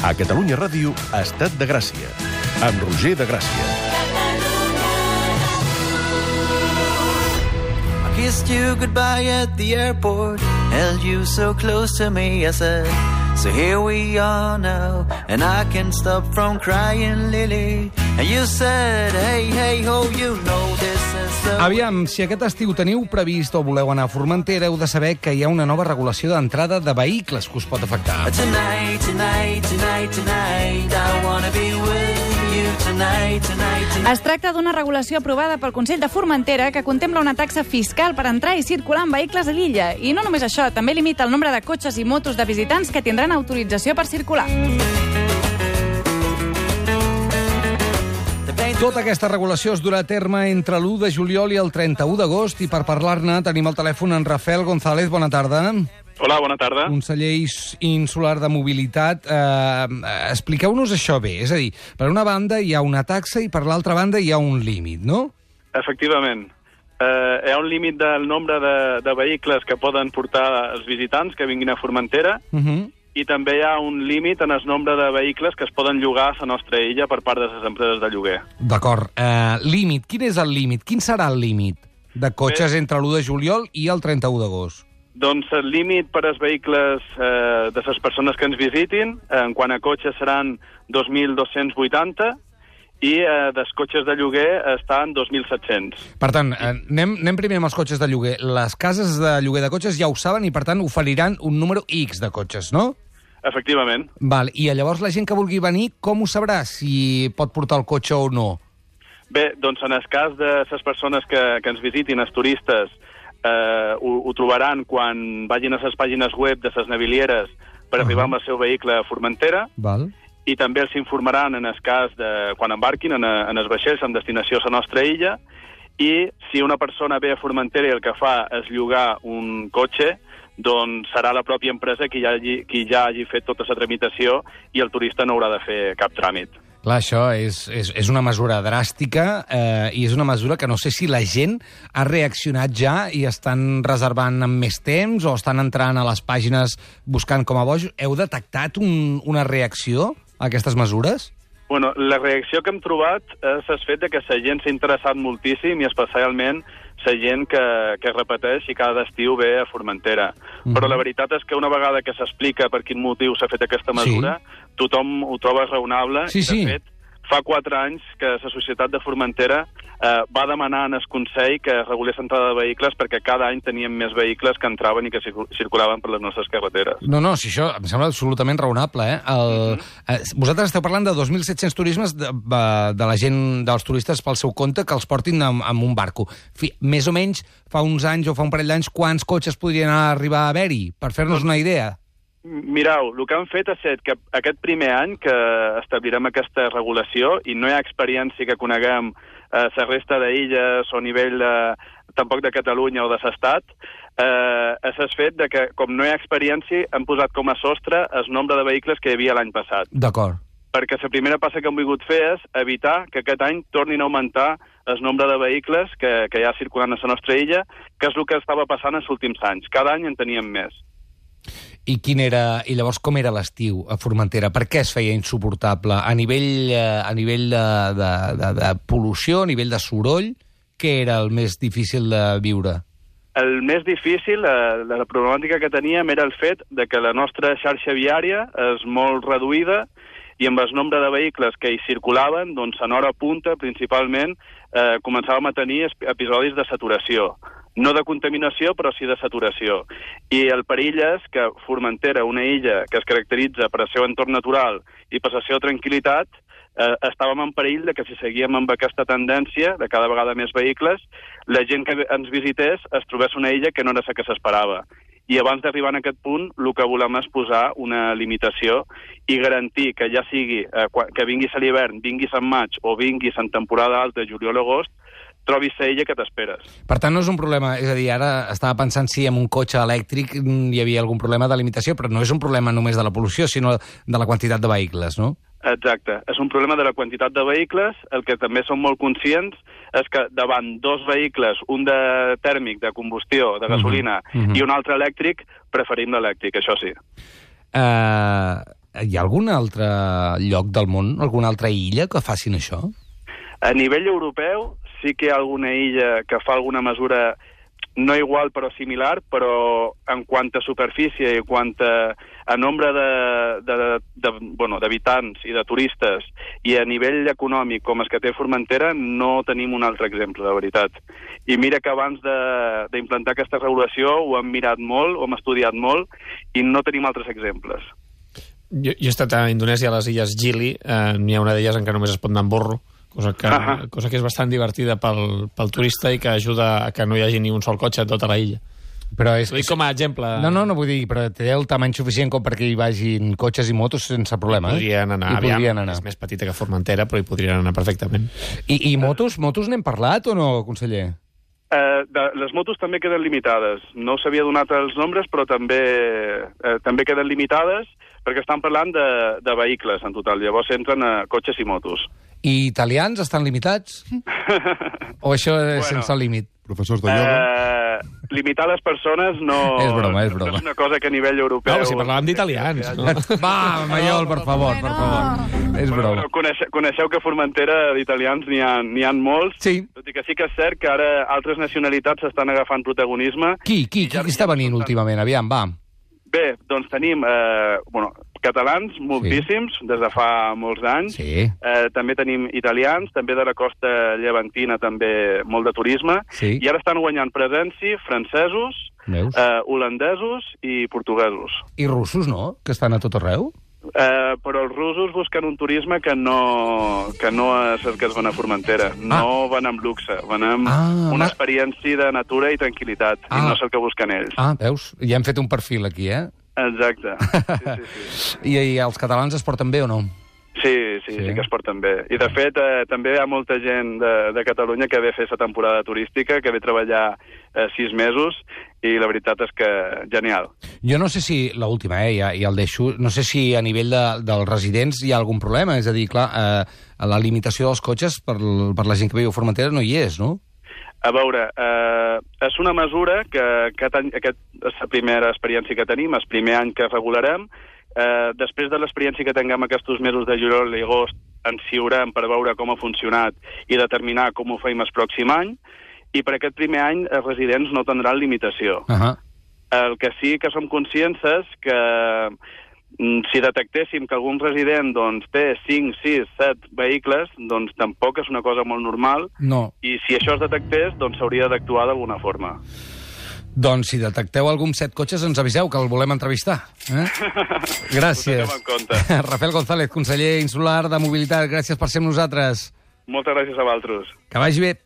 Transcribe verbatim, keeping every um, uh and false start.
A Catalunya Ràdio, Estat de Gràcia, amb Roger de Gràcia. I kissed you goodbye at the airport, held you so close to me, I said, so here we are now, and I can't stop from crying, Lily. And you said, hey, hey, ho, you know this is so... Aviam, si aquest estiu teniu previst o voleu anar a Formentera, heu de saber que hi ha una nova regulació d'entrada de vehicles que us pot afectar. Tonight, tonight, tonight, tonight, I wanna be with you tonight, tonight, tonight. Es tracta d'una regulació aprovada pel Consell de Formentera que contempla una taxa fiscal per entrar i circular amb vehicles a l'illa. I no només això, també limita el nombre de cotxes i motos de visitants que tindran autorització per circular. Tota aquesta regulació es durà a terme entre l'u de juliol i el trenta-u d'agost i per parlar-ne tenim al telèfon en Rafael González. Bona tarda. Hola, bona tarda. Conseller insular de mobilitat. Eh, expliqueu-nos això bé. És a dir, per una banda hi ha una taxa i per l'altra banda hi ha un límit, no? Efectivament. Eh, hi ha un límit del nombre de, de vehicles que poden portar els visitants que vinguin a Formentera, Uh-huh. i també hi ha un límit en el nombre de vehicles que es poden llogar a la nostra illa per part de les empreses de lloguer. D'acord. Eh, límit. Quin és el límit? Quin serà el límit de cotxes Bé. entre l'u de juliol i el trenta-u d'agost? Doncs el límit per als vehicles eh, de les persones que ens visitin, eh, en quant a cotxes, seran dos mil dos-cents vuitanta i eh, dels cotxes de lloguer estan dos mil set-cents. Per tant, eh, anem, anem primer amb els cotxes de lloguer. Les cases de lloguer de cotxes ja ho saben i, per tant, oferiran un número X de cotxes, no? Efectivament. Val. I llavors la gent que vulgui venir, com ho sabrà si pot portar el cotxe o no? Bé, doncs en el cas de les persones que, que ens visitin, els turistes, eh, ho, ho trobaran quan vagin a les pàgines web de les navilieres per Uh-huh. arribar amb el seu vehicle a Formentera, Val. i també els informaran en el cas de quan embarquin en, a, en els vaixells amb destinació a la nostra illa, i si una persona ve a Formentera i el que fa és llogar un cotxe, doncs serà la pròpia empresa qui ja hagi, qui ja hagi fet tota la tramitació i el turista no haurà de fer cap tràmit. Clar, això és, és, és una mesura dràstica eh, i és una mesura que no sé si la gent ha reaccionat ja i estan reservant amb més temps o estan entrant a les pàgines buscant com a bojos. Heu detectat un, una reacció a aquestes mesures? Bueno, la reacció que hem trobat és el fet de que la gent s'ha interessat moltíssim i especialment la gent que, que repeteix i cada estiu ve a Formentera. Mhm. Però la veritat és que una vegada que s'explica per quin motiu s'ha fet aquesta mesura, sí. tothom ho troba raonable. Sí, I, de sí. fet, fa quatre anys que la Societat de Formentera eh, va demanar en el Consell que regulés l'entrada de vehicles perquè cada any teníem més vehicles que entraven i que circulaven per les nostres carreteres. No, no, si això em sembla absolutament raonable. Eh? El, Mhm. eh, vosaltres esteu parlant de dos mil set-cents turismes de, de la gent, dels turistes pel seu compte, que els portin amb, amb un barco. Fi, més o menys, fa uns anys o fa un parell d'anys, quants cotxes podrien arribar a haver-hi? Per fer-nos una idea. Mireu, el que han fet ha estat que aquest primer any que establirem aquesta regulació i no hi ha experiència que coneguem a eh, la resta d'illes o a nivell de, tampoc de Catalunya o de l'Estat, eh, és el fet de que, com no hi ha experiència, han posat com a sostre el nombre de vehicles que hi havia l'any passat. D'acord. Perquè la primera passa que hem volgut fer és evitar que aquest any tornin a augmentar el nombre de vehicles que, que hi ha circulant a la nostra illa, que és el que estava passant els últims anys. Cada any en teníem més. I quin era, i llavors com era l'estiu a Formentera? Per què es feia insuportable? A nivell, eh, a nivell de, de, de, de pol·lució, a nivell de soroll, què era el més difícil de viure? El més difícil, eh, la problemàtica que teníem era el fet de que la nostra xarxa viària és molt reduïda i amb el nombre de vehicles que hi circulaven, doncs en hora punta, principalment, eh, començàvem a tenir episodis de saturació. No de contaminació, però sí de saturació. I el perill és que Formentera, una illa que es caracteritza per el seu entorn natural i per la seva tranquil·litat, eh, estàvem en perill de que si seguíem amb aquesta tendència de cada vegada més vehicles, la gent que ens visités es trobés una illa que no era la que s'esperava. I abans d'arribar a aquest punt, el que volem és posar una limitació i garantir que ja sigui eh, que vinguis a l'hivern, vinguis en maig o vinguis en temporada alta, juliol o agost, trobis la illa que t'esperes. Per tant, no és un problema, és a dir, ara estava pensant si amb un cotxe elèctric hi havia algun problema de limitació, però no és un problema només de la pol·lució, sinó de la quantitat de vehicles, no? Exacte. És un problema de la quantitat de vehicles. El que també som molt conscients és que davant dos vehicles, un de tèrmic, de combustió, de gasolina, uh-huh. Uh-huh. i un altre elèctric, preferim l'elèctric, això sí. Uh, Hi ha algun altre lloc del món, alguna altra illa que facin això? A nivell europeu sí que hi ha alguna illa que fa alguna mesura no igual però similar, però en quant a superfície i en quant a, a nombre de, de, de, bueno, d'habitants i de turistes i a nivell econòmic com es que té Formentera, no tenim un altre exemple, de veritat. I mira que abans d'implantar aquesta regulació ho hem mirat molt, ho hem estudiat molt i no tenim altres exemples. Jo, jo he estat a Indonèsia, a les illes Gili, eh, n'hi ha una d'elles en què només es pot anar amb burro, cosa que, uh-huh. cosa que és bastant divertida pel, pel turista i que ajuda a que no hi hagi ni un sol cotxe a tota la illa. Però és... Ho dic com a exemple. No, no, no vull dir, però té el tamany suficient com perquè hi vagin cotxes i motos sense problema. Podrien anar, I aviam, podrien anar. És més petita que Formentera, però hi podrien anar perfectament. I, i motos? Motos n'hem parlat o no, conseller? Eh, de, les motos també queden limitades. No s'havia donat els nombres, però també, eh, també queden limitades perquè estan parlant de, de vehicles en total. Llavors entren a cotxes i motos. I italians estan limitats? O això és Bueno. sense límit? Professors de ioga. Eh, limitar les persones no, És broma, és broma. no és una cosa que a nivell europeu... No, si parlàvem d'italians. No? Va, Maiol, per favor, per favor. És Però, broma. però coneixeu, coneixeu que a Formentera d'italians n'hi ha, n'hi ha molts, Sí. tot i que sí que és cert que ara altres nacionalitats estan agafant protagonisme. Qui, qui, qui, qui està venint últimament? Aviam, va. Bé, doncs tenim eh, bueno, catalans moltíssims, sí. des de fa molts anys. Sí. Eh, també tenim italians, també de la costa llevantina, també molt de turisme. Sí. I ara estan guanyant presència francesos, Veus? eh, holandesos i portuguesos. I russos, no? Que estan a tot arreu? Eh, però els russos busquen un turisme que no, que no és el que es van a Formentera. No van amb luxe, van amb Ah, una ma- experiència de natura i tranquil·litat. Ah. I no és el que busquen ells. Ah, veus? Ja hem fet un perfil aquí, eh? Exacte. Sí, sí, sí. I, I els catalans es porten bé o no? Sí, sí, sí, sí que es porten bé. I, de fet, eh, també hi ha molta gent de, de Catalunya que ve a fer aquesta temporada turística, que ve a treballar eh, sis mesos, i la veritat és que genial. Jo no sé si, l'última, eh, ja, ja el deixo, no sé si a nivell de, dels residents hi ha algun problema, és a dir, clar, eh, la limitació dels cotxes per, per la gent que viu a Formentera no hi és, no? A veure, eh, és una mesura que aquest any, aquest és la primera experiència que tenim, és el primer any que regularem. Eh, després de l'experiència que tinguem aquests mesos de juliol i agost, ens ciurem per veure com ha funcionat i determinar com ho feim el pròxim any, i per aquest primer any els residents no tindran limitació. Uh -huh. El que sí que som conscients és que mm, si detectéssim que algun resident doncs, té cinc, sis, set vehicles, doncs tampoc és una cosa molt normal, No. i si això es detectés, doncs s'hauria d'actuar d'alguna forma. Doncs si detecteu algun set cotxes, ens aviseu, que el volem entrevistar. Eh? Gràcies. Ho tenim en compte. Rafael González, conseller insular de Mobilitat, gràcies per ser amb nosaltres. Moltes gràcies a vosaltres. Que vagi bé.